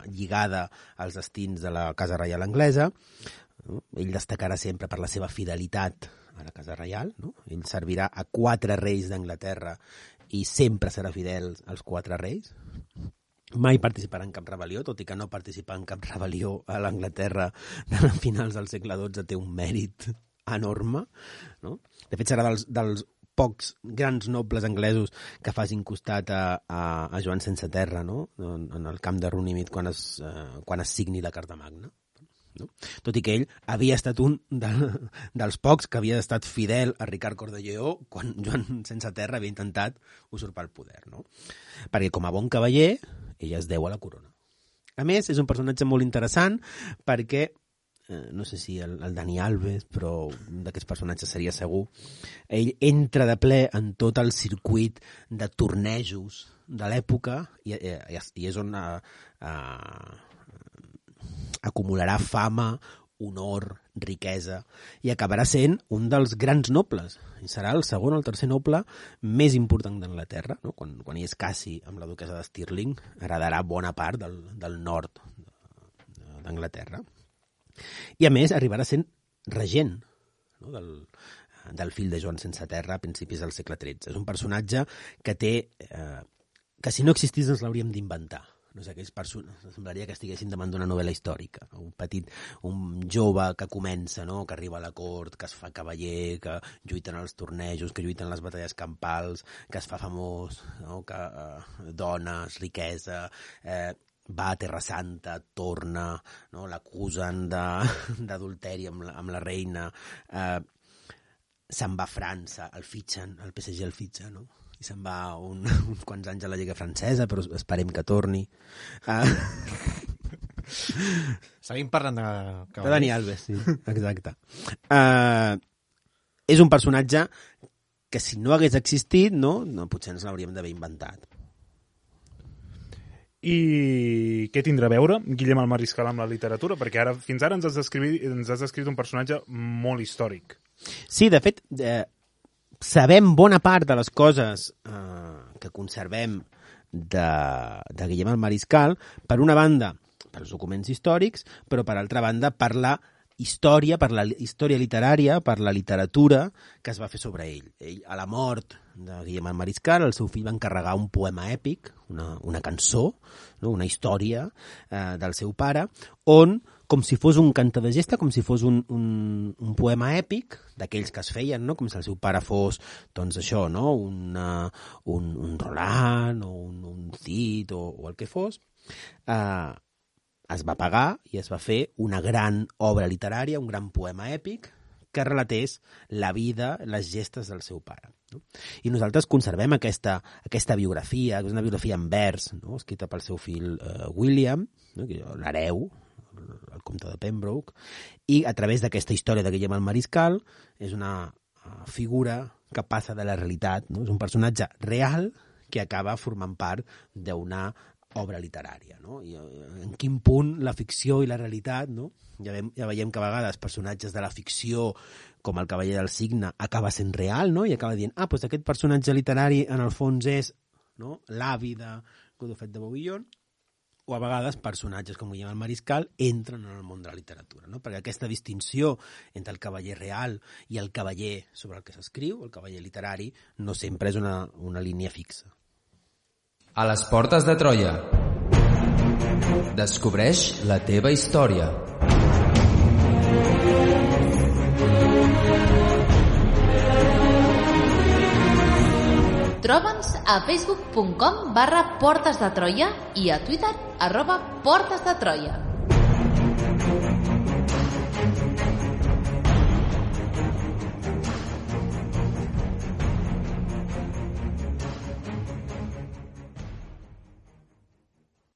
[SPEAKER 5] lligada als destins de la Casa Reial anglesa. Ell destacarà sempre per la seva fidelitat a la Casa Reial, no? Ell servirà a 4 reis d'Anglaterra i sempre serà fidel als 4 reis. Mai participarà en cap rebel·lió, tot i que no participar en cap rebel·lió a l'Anglaterra de finals del segle XII té un mèrit enorme, no? De fet, serà dels pocs grans nobles anglesos que facin costat a Joan sense terra, no? En el camp de Runnymede quan es signi la Carta Magna. No? Tot i que ell havia estat un dels pocs que havia estat fidel a Ricard Cor de Lleó quan Joan sense terra havia intentat usurpar el poder, no? Perquè com a bon cavaller ell es deu a la corona. A més, és un personatge molt interessant perquè no sé si el Dani Alves, però un d'aquests personatges seria segur, ell entra de ple en tot el circuit de tornejos de l'època i és on acumularà fama, honor, riquesa, i acabarà sent un dels grans nobles. I serà el segon o el tercer noble més important d'Anglaterra, no? Quan hi és Cassi amb la duquesa de Stirling, heredarà bona part del nord d'Anglaterra. I a més arribarà sent regent, no? del fill de Joan sense terra a principis del segle XIII. És un personatge que té... que si no existís ens l'hauríem d'inventar. No sé, aquells persones, semblaria que estiguessin davant d'una novel·la històrica. Un jove que comença, no? Que arriba a la cort, que es fa cavaller, que lluiten als tornejos, que lluiten les batalles campals, que es fa famós, no? Que dones, riquesa... va a Terra Santa, torna, no? L'acusen d'adulteri amb la reina, se'n va a França, el fitxen, el PSG el fitxa, no? I se'n va uns quants anys a la Lliga Francesa, però esperem que torni.
[SPEAKER 3] Seguim parlant
[SPEAKER 5] de Dani Alves, sí, exacte. És un personatge que si no hagués existit, no potser ens l'hauríem d'haver inventat.
[SPEAKER 4] I què tindrà a veure Guillem el Mariscal amb la literatura? Perquè fins ara ens has descrit un personatge molt històric.
[SPEAKER 5] Sí, de fet, sabem bona part de les coses que conservem de Guillem el Mariscal, per una banda, per els documents històrics, però per altra banda, per la història literària, per la literatura que es va fer sobre ell. Ell, a la mort de Guillem el Mariscal, el seu fill va encarregar un poema èpic, una cançó, no? Una història del seu pare, on, com si fos un canta de gesta, com si fos un poema èpic, d'aquells que es feien, no? Com si el seu pare fos, doncs això, no? Un Roland o un Cid o el que fos, es va pagar i es va fer una gran obra literària, un gran poema èpic que relatés la vida, les gestes del seu pare. No? I nosaltres conservem aquesta biografia, que és una biografia en vers, no? Escrita pel seu fill William, no? L'hereu, el comte de Pembroke, i a través d'aquesta història de Guillem el Mariscal és una figura que passa de la realitat, no? És un personatge real que acaba formant part d'una obra literària, no? I en quin punt la ficció i la realitat, no? Ja veiem que a vegades personatges de la ficció, com el Cavaller del Cigne, acaba sent real, no? I acaba dient, doncs aquest personatge literari en el fons és, no? L'avi de Godofret de Bouillon, o a vegades personatges com Guillem el Mariscal entren en el món de la literatura, no? Perquè aquesta distinció entre el cavaller real i el cavaller sobre el que s'escriu, el cavaller literari, no sempre és una línia fixa.
[SPEAKER 2] A les portes de Troia. Descobreix la teva història.
[SPEAKER 1] Troba'ns a facebook.com/Portes de Troia i a Twitter @Portes de Troia.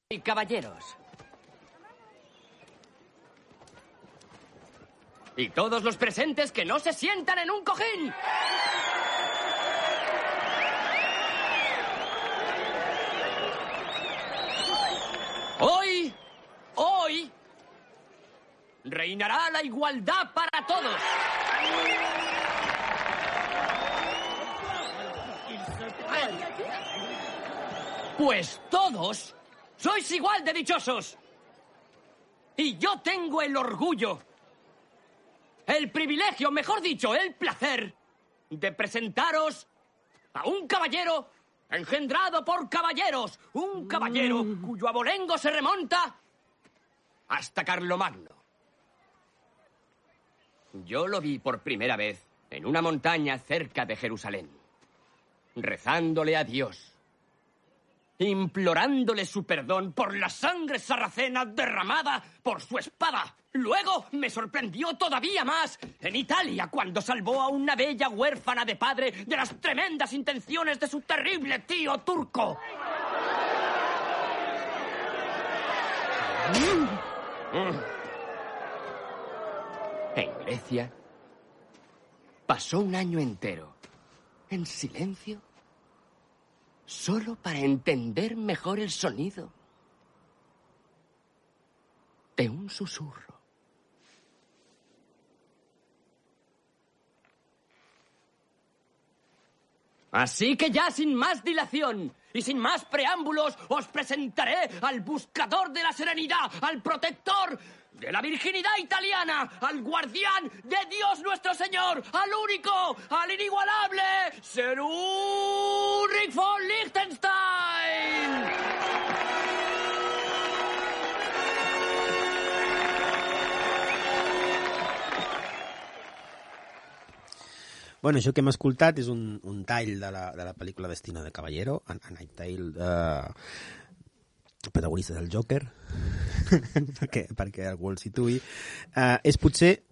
[SPEAKER 6] Y caballeros. Y todos los presentes que no se sientan en un cojín. Hoy, reinará la igualdad para todos. Pues todos sois igual de dichosos. Y yo tengo el orgullo, el privilegio, mejor dicho, el placer de presentaros a un caballero engendrado por caballeros, un caballero cuyo abolengo se remonta hasta Carlomagno. Yo lo vi por primera vez en una montaña cerca de Jerusalén, rezándole a Dios, implorándole su perdón por la sangre sarracena derramada por su espada. Luego me sorprendió todavía más en Italia cuando salvó a una bella huérfana de padre de las tremendas intenciones de su terrible tío turco. En Grecia pasó un año entero en silencio, solo para entender mejor el sonido de un susurro. Así que ya sin más dilación y sin más preámbulos os presentaré al buscador de la serenidad, al protector de la virginidad italiana, al guardián de Dios nuestro Señor, al único, al inigualable, Sir Ulrich von Liechtenstein.
[SPEAKER 5] Bueno, això que hem escoltat és un tall de la pel·lícula Destino de Caballero, A Night Tale, protagonista del Joker, perquè algú el situï. És potser,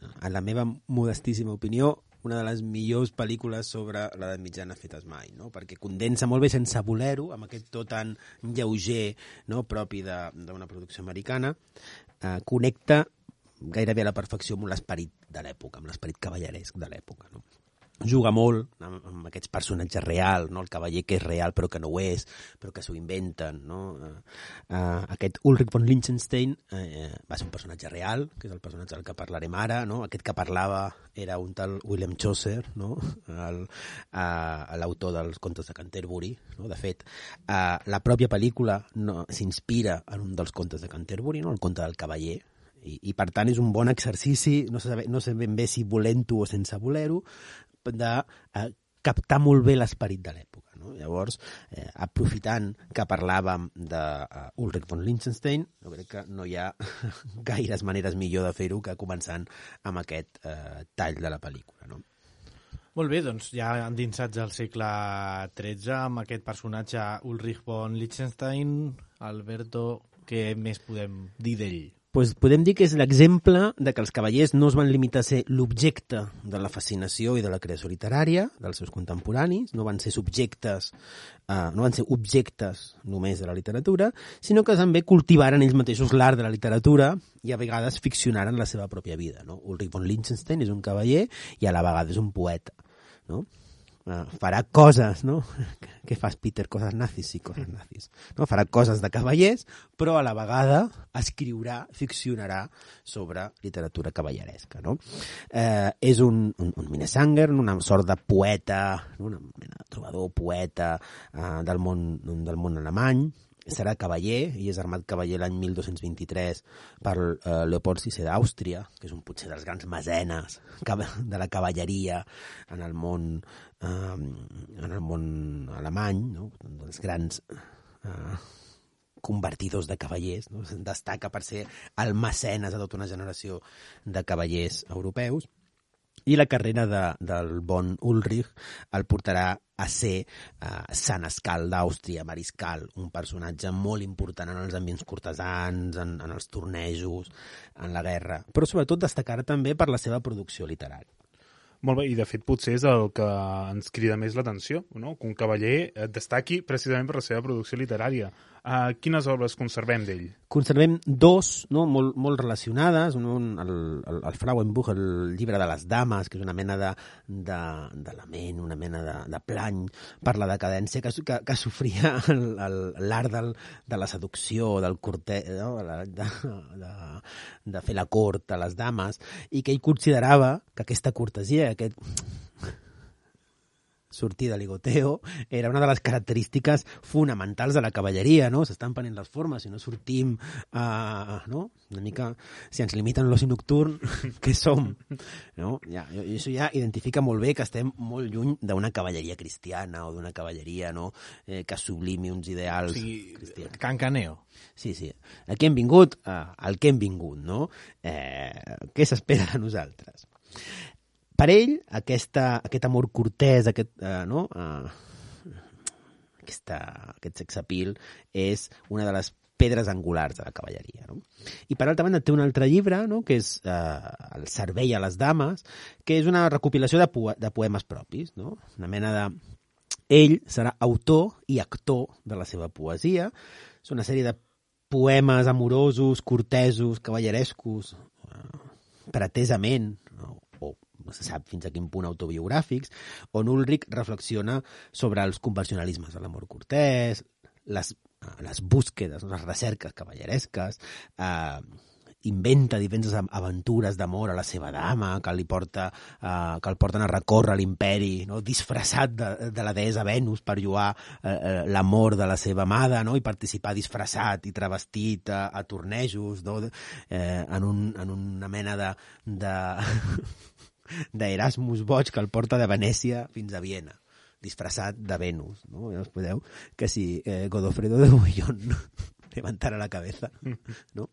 [SPEAKER 5] en la meva modestíssima opinió, una de les millors pel·lícules sobre l'edat mitjana fetes mai, no? Perquè condensa molt bé, sense voler-ho, amb aquest to tan lleuger, no? Propi d'una producció americana, connecta gairebé a la perfecció amb l'esperit de l'època, amb l'esperit cavalleresc de l'època, no? Juga molt amb aquests personatges reals, no? El cavaller que és real però que no ho és, però que s'ho inventen, no? Aquest Ulrich von Liechtenstein va ser un personatge real, que és el personatge del que parlarem ara, no? Aquest que parlava era un tal William Chaucer, no? L'autor dels contes de Canterbury, no? De fet, la pròpia pel·lícula s'inspira en un dels contes de Canterbury, no? El conte del cavaller, i per tant és un bon exercici, no sé ben bé si volent-ho o sense voler-ho, de captar molt bé l'esperit de l'època, no? Llavors, aprofitant que parlàvem d'Ulrich von Liechtenstein, jo crec que no hi ha gaires maneres millor de fer-ho que començant amb aquest tall de la pel·lícula, no?
[SPEAKER 3] Molt bé, doncs ja endinsats al segle XIII amb aquest personatge Ulrich von Liechtenstein. Alberto, què més podem dir d'ell?
[SPEAKER 5] Pues podem dir que és l'exemple de que els cavallers no es van limitar a ser l'objecte de la fascinació i de la creació literària dels seus contemporanis, no van ser objectes només de la literatura, sinó que també cultivaren ells mateixos l'art de la literatura i a vegades ficcionaren la seva pròpia vida, no? Ulrich von Liechtenstein és un cavaller i a la vegada és un poeta, no? Farà coses, no? Què fas, Peter? Coses nazis, sí, coses nazis. No? Farà coses de cavallers, però a la vegada escriurà, ficcionarà sobre literatura cavalleresca, no? És un Minnesänger, una sort de poeta, una mena de trobador poeta del món alemany. Serà cavaller, i és armat cavaller l'any 1223 per Leopold VI d'Àustria, que és un potser dels grans mecenes de la cavalleria en el món alemany, no? Dels grans convertidors de cavallers, no? Destaca per ser el mecenes de tota una generació de cavallers europeus. I la carrera del bon Ulrich el portarà a ser senescal d'Àustria, mariscal, un personatge molt important en els ambients cortesans, en els tornejos, en la guerra, però sobretot destacarà també per la seva producció literària.
[SPEAKER 4] Molt bé, i de fet potser és el que ens crida més l'atenció, no? Que un cavaller destaqui precisament per la seva producció literària. Quines obres conservem d'ell?
[SPEAKER 5] Conservem dos, no? molt relacionades. El Frauenbuch, el llibre de les dames, que és una mena de lament, una mena de plany per la decadència que sofria l'art de la seducció, del cortès, no? de fer la cort a les dames, i que ell considerava que aquesta cortesia, aquest sortir de ligoteo, era una de les característiques fonamentals de la cavalleria, no? S'estan prenent les formes, si no sortim, no? Una mica, si ens limiten l'oci nocturn, què som? No? I això ja identifica molt bé que estem molt lluny d'una cavalleria cristiana o d'una cavalleria, no? Que sublimi uns ideals cristians.
[SPEAKER 3] Cancaneo.
[SPEAKER 5] Sí. Aquí hem vingut al que hem vingut, no? Què s'espera de nosaltres? Per ell, aquest amor cortès, aquest sex appeal és una de les pedres angulars de la cavalleria, no? I per altra banda té un altre llibre, no? Que és El servei a les dames, que és una recopilació de poemes propis, no? Una mena de... Ell serà autor i actor de la seva poesia. És una sèrie de poemes amorosos, cortesos, cavallerescos, pretesament, no? No se sap fins a quin punt autobiogràfics, on Ulrich reflexiona sobre els convencionalismes de l'amor cortès, les búsquedes, les recerques cavalleresques, inventa diverses aventures d'amor a la seva dama, que el porten a recórrer l'imperi, no? Disfressat de la deessa Venus per lloar l'amor de la seva amada, no? I participar disfressat i travestit a tornejos, no? En una mena d'Erasmus boig que el porta de Venècia fins a Viena, disfressat de Venus, no? Ja us podeu que si Godofredo de Bouillon levantara la cabeza, no?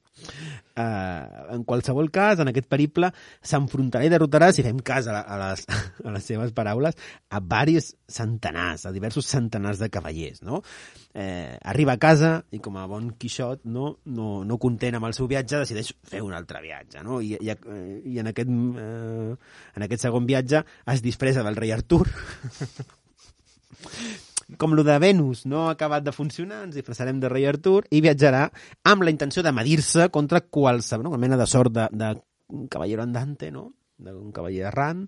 [SPEAKER 5] En qualsevol cas, en aquest periple s'enfrontarà i derrotarà, si fem cas a les seves paraules, a diversos centenars de cavallers, no? Arriba a casa i com a bon Quixot, no content amb el seu viatge, decideix fer un altre viatge, no? I en aquest segon viatge es disfressa del rei Artur. Com lo de Venus no ha acabat de funcionar, ens disfressarem de rei Artur i viatjarà amb la intenció de medir-se contra qualsevol, una mena de sort de cavallero andante, no? D'un cavaller errant,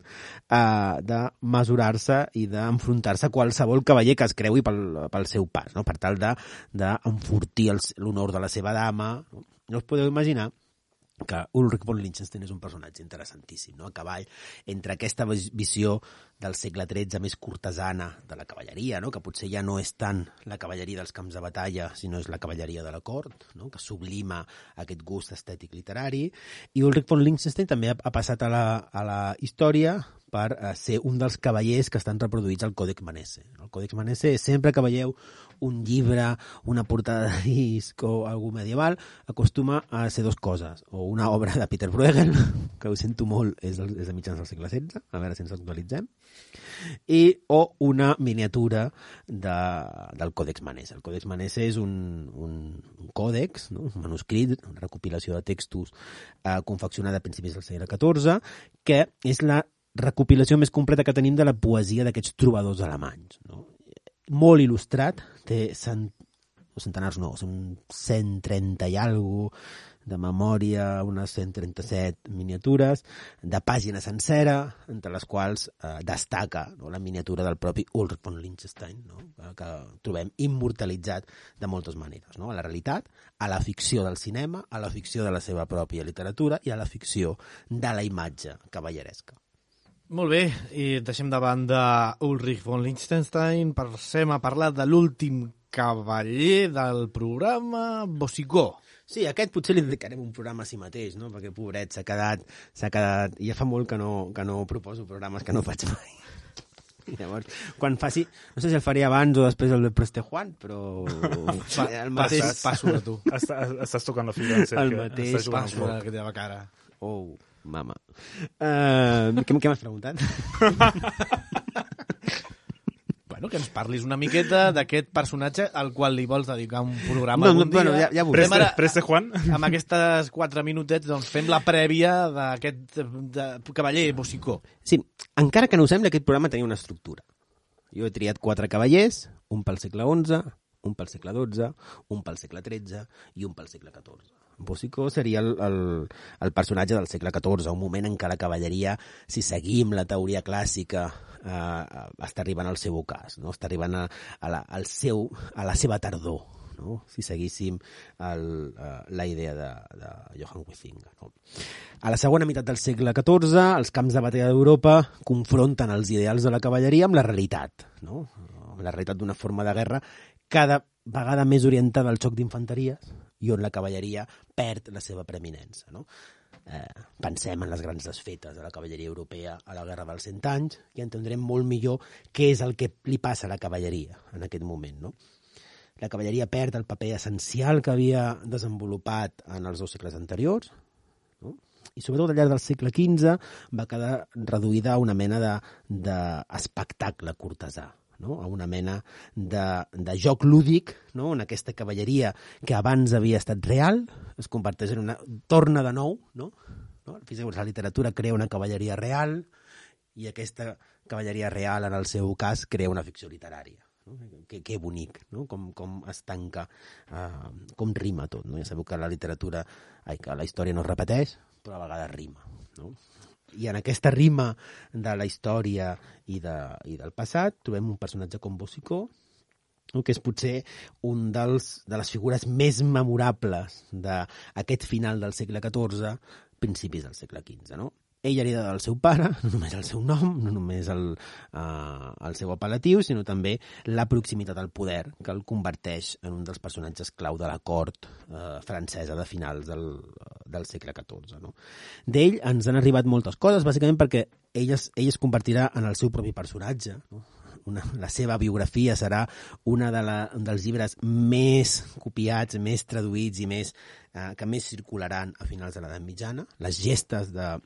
[SPEAKER 5] de mesurar-se i d'enfrontar-se a qualsevol cavaller que es creui pel seu pas, no? Per tal d'enfortir l'honor de la seva dama. No us podeu imaginar que Ulrich von Liechtenstein és un personatge interessantíssim, no? A cavall entre aquesta visió del segle XIII més cortesana de la cavalleria, no? Que potser ja no és tant la cavalleria dels camps de batalla, sinó és la cavalleria de la cort, no? Que sublima aquest gust estètic literari. I Ulrich von Liechtenstein també ha passat a la història per ser un dels cavallers que estan reproduïts al Còdex Manesse. El Còdex Manesse, sempre que veieu un llibre, una portada de disc o algú medieval, acostuma a ser dues coses. O una obra de Peter Bruegel, que ho sento molt, és de mitjans del segle XVI, a veure si ens actualitzem, o una miniatura del Còdex Manesse. El Còdex Manesse és un còdex, no? Un manuscrit, una recopilació de textos confeccionada a principis del segle XIV, que és la recopilació més completa que tenim de la poesia d'aquests trobadors alemanys, no? Molt il·lustrat, té centenars no, són 130 i alguna cosa de memòria, unes 137 miniatures, de pàgina sencera, entre les quals destaca, no, la miniatura del propi Ulrich von Liechtenstein, no? Que trobem immortalitzat de moltes maneres, no? A la realitat, a la ficció del cinema, a la ficció de la seva pròpia literatura i a la ficció de la imatge cavalleresca.
[SPEAKER 3] Molt bé, i deixem de banda Ulrich von Liechtenstein, passem a parlar de l'últim cavaller del programa, Boucicaut.
[SPEAKER 5] Sí, aquest potser li dedicarem un programa a si mateix, no? Perquè, pobret, s'ha quedat... Ja fa molt que no proposo programes que no faig mai. I llavors, quan faci... No sé si el faré abans o després el de Preste Juan, però... el mateix...
[SPEAKER 3] Passo de tu.
[SPEAKER 4] Estàs tocant la fibra, Sergio.
[SPEAKER 5] El mateix
[SPEAKER 3] passo de la teva cara.
[SPEAKER 5] Oh, mama. Què m'has preguntat?
[SPEAKER 3] Bueno, que ens parlis una miqueta d'aquest personatge al qual li vols dedicar un programa algun dia.
[SPEAKER 5] Bueno, ja veurem.
[SPEAKER 4] Preste Juan?
[SPEAKER 3] Amb aquestes 4 minutets doncs, fem la prèvia d'aquest cavaller Boucicaut.
[SPEAKER 5] Sí, encara que no ho sembla, aquest programa tenia una estructura. Jo he triat 4 cavallers, un pel segle XI, un pel segle XII, un pel segle XIII i un pel segle XIV. Boucicaut seria el personatge del segle XIV, un moment en què la cavalleria, si seguim la teoria clàssica, està arribant al seu ocàs, no? Està arribant a la seva tardor, no? Si seguíssim la idea de Johann Huizinga. No? A la segona meitat del segle XIV, els camps de batalla d'Europa confronten els ideals de la cavalleria amb la realitat, no? Amb la realitat d'una forma de guerra cada vegada més orientada al xoc d'infanteries i on la cavalleria perd la seva preeminença, no? Pensem en les grans desfetes de la cavalleria europea a la Guerra dels 100 anys i entendrem molt millor què és el que li passa a la cavalleria en aquest moment, no? La cavalleria perd el paper essencial que havia desenvolupat en els 2 segles anteriors, no? I sobretot al llarg del segle XV va quedar reduïda a una mena d'espectacle cortesà, no? A una mena de joc lúdic, no? On aquesta cavalleria que abans havia estat real es converteix en torna de nou, no? La literatura crea una cavalleria real i aquesta cavalleria real, en el seu cas, crea una ficció literària. No? Que bonic, no? Com es tanca, com rima tot, no? Ja sabeu que que la història no es repeteix, però a vegades rima, no? I en aquesta rima de la història i del passat trobem un personatge com Boucicaut, que és potser un de les figures més memorables d'aquest final del segle XIV, principis del segle XV, no? Ell hereda del seu pare, no només el seu nom, no només el seu apel·latiu, sinó també la proximitat al poder, que el converteix en un dels personatges clau de la cort francesa de finals del segle XIV. No? D'ell ens han arribat moltes coses, bàsicament perquè ell es convertirà en el seu propi personatge. No? La seva biografia serà un dels llibres més copiats, més traduïts i que més circularan a finals de l'edat mitjana. Les gestes de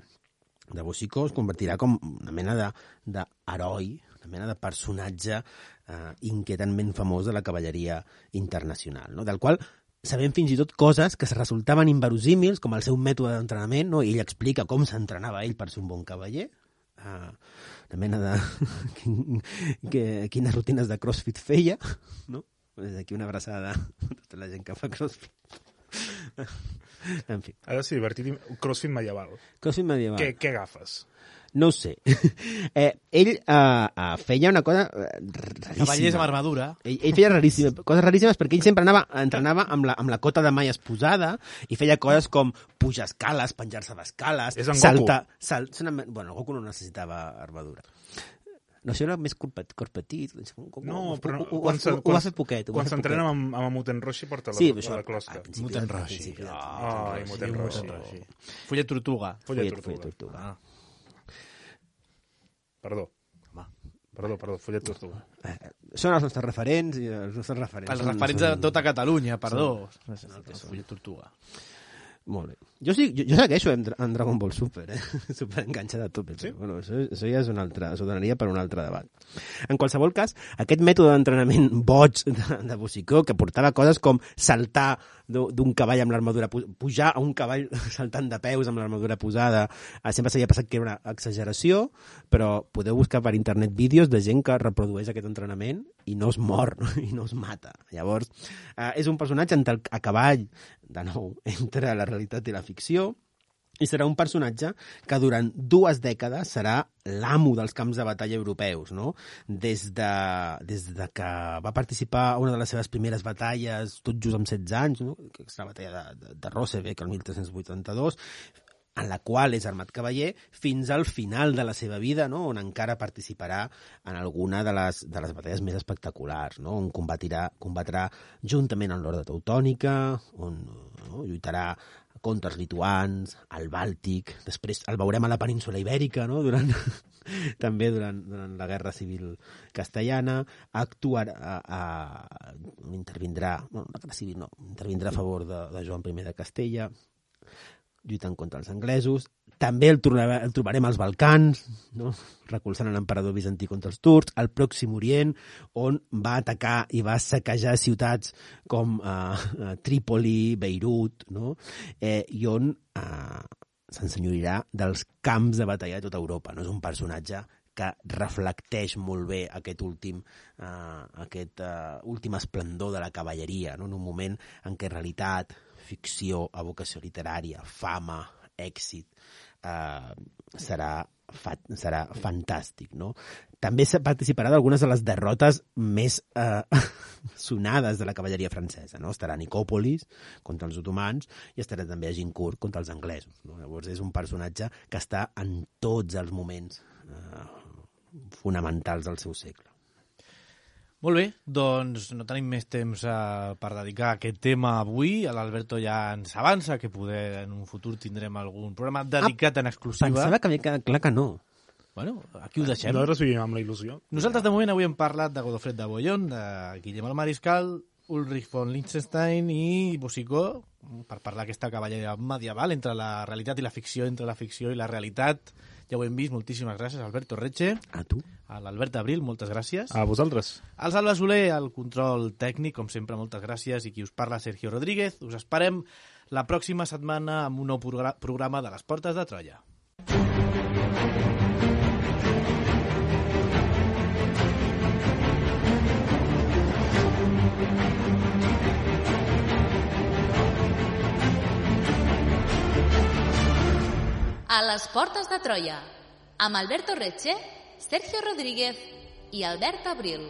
[SPEAKER 5] Boucicaut es convertirà com una mena d'heroi, una mena de personatge inquietantment famós de la cavalleria internacional, no? Del qual sabem fins i tot coses que resultaven inverosímils, com el seu mètode d'entrenament, no? I ell explica com s'entrenava ell per ser un bon cavaller, una mena de... quines rutines de crossfit feia, no? Des d'aquí una abraçada a tota la gent que fa crossfit. En fi.
[SPEAKER 4] Ha de ser divertit. Crossfit medieval.
[SPEAKER 5] Crossfit medieval.
[SPEAKER 4] Què agafes?
[SPEAKER 5] No ho sé. Ell feia una cosa raríssima.
[SPEAKER 3] Cavallers amb armadura.
[SPEAKER 5] Ell feia coses raríssimes perquè ell sempre entrenava amb la cota de malles posada i feia coses com pujar escales, penjar-se d'escales, saltar... Bueno, el Goku no necessitava armadura. No, això era més cor petit.
[SPEAKER 4] No, però
[SPEAKER 5] ho va fer poquet.
[SPEAKER 4] Quan s'entrena amb Muten Roshi porta la closca.
[SPEAKER 3] Muten Roshi.
[SPEAKER 4] Ai, Muten Roshi.
[SPEAKER 3] Follet tortuga.
[SPEAKER 5] Follet tortuga.
[SPEAKER 4] Perdó, Follet tortuga.
[SPEAKER 5] Són els nostres referents i els nostres referents.
[SPEAKER 3] Els referents de tota Catalunya, perdó. Follet tortuga.
[SPEAKER 5] Molt bé. Jo segueixo en Dragon Ball Super, super enganxat a tope. Sí? Bueno, això ja és això donaria per un altre debat. En qualsevol cas, aquest mètode d'entrenament boig de Boucicaut, que portava coses com saltar d'un cavall amb l'armadura, pujar a un cavall saltant de peus amb l'armadura posada, sempre s'havia passat que era una exageració, però podeu buscar per internet vídeos de gent que reprodueix aquest entrenament i no es mor, i no es mata. Llavors, és un personatge a cavall, de nou, entre la realitat i la ficció, i serà un personatge que durant 2 dècades serà l'amo dels camps de batalla europeus, no? Des de que va participar a una de les seves primeres batalles, tot just amb 16 anys, no? Que és la batalla de Rossbeek, el 1382, en la qual és armat cavaller, fins al final de la seva vida, no? On encara participarà en alguna de les batalles més espectaculars, no? On combatrà juntament amb l'Horda Teutònica, on lluitarà contra els lituans, al Bàltic, després el veurem a la península Ibèrica, no? També durant la Guerra Civil Castellana, intervindrà a favor de Joan I de Castella, lluitant contra els anglesos. També el trobarem als Balcans, no? Recolzant l'emperador bizantí contra els turcs, al Pròxim Orient, on va atacar i va saquejar ciutats com Trípoli, Beirut, no? I on s'ensenyorirà dels camps de batalla de tota Europa. No? És un personatge que reflecteix molt bé aquest últim esplendor de la cavalleria, no? En un moment en què realitat, ficció, evocació literària, fama, èxit, serà fantàstic, no? També participarà d'algunes de les derrotes més sonades de la cavalleria francesa, no? Estarà a Nicòpolis contra els otomans i estarà també a Agincourt contra els anglesos, no? Llavors és un personatge que està en tots els moments fonamentals del seu segle.
[SPEAKER 3] Molt bé, doncs no tenim més temps per dedicar a aquest tema avui. L'Alberto ja ens avança que poder en un futur tindrem algun programa dedicat en exclusiva.
[SPEAKER 5] Pensava que havia quedat clar que no.
[SPEAKER 3] Bueno, aquí ho deixem.
[SPEAKER 4] Nosaltres vivim amb la il·lusió.
[SPEAKER 3] Nosaltres de moment avui hem parlat de Godofred de Bouillon, de Guillem el Mariscal, Ulrich von Liechtenstein i Boucicaut, per parlar d'aquesta cavalleria medieval entre la realitat i la ficció, entre la ficció i la realitat. Ja ho hem vist, moltíssimes gràcies, Alberto Retxe.
[SPEAKER 5] A tu.
[SPEAKER 3] A l'Albert Abril, moltes gràcies.
[SPEAKER 4] A vosaltres.
[SPEAKER 3] Al Salva Soler, al control tècnic, com sempre, moltes gràcies. I qui us parla, Sergio Rodríguez. Us esperem la pròxima setmana amb un nou programa de les Portes de Troia.
[SPEAKER 1] A les Portes de Troia, amb Alberto Retxe, Sergio Rodríguez i Albert Abril.